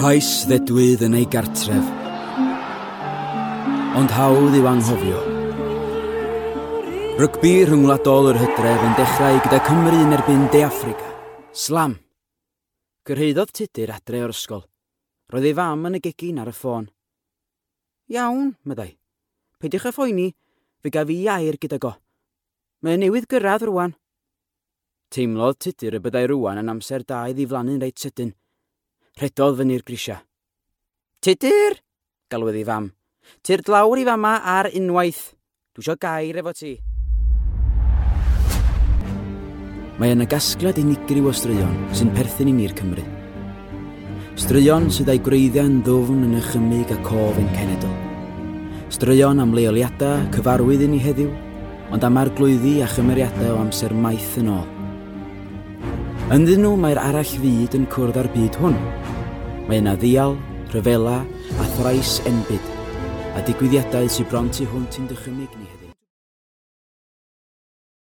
Cais ddedwydd yn ei gartref. Ond hawdd i'w anghofio. Rygbi rhyngwladol yr hydref yn dechrau gyda Cymru yn erbyn De Affrica. Slam! Cyrhaeddodd Tudur adre o'r ysgol. Roedd ei fam yn y gegin ar y ffôn. Iawn, meddai. Peidiwch â phoeni, fe gaf i air gydag o. Mae o newydd gyrraedd rwan. Teimlodd Tudur y byddai rwan yn amser da i ddiflannu'n reit sydyn. Rhedodd fyny'r grisiau. Tudur! galwodd ei fam. Tyrd lawr i fama ar unwaith. Dwi isio gair efo ti. Mae yna gasgliad unigryw o straeon sy'n perthyn i ni'r Cymry. Straeon sydd â'i gwreiddiau'n ddwfn yn nychymyg a cof ein cenedl. Straeon am leoliadau cyfarwydd i ni heddiw, ond am arglwyddi a chymeriadau o amser maith yn ôl. Ynddyn nhw mae'r arall fyd yn cwrdd â'r byd hwn. Mae yna ddial, rhyfela a thrais enbyd, a digwyddiadau sydd bron tu hwnt i'n dychymyg ni heddiw.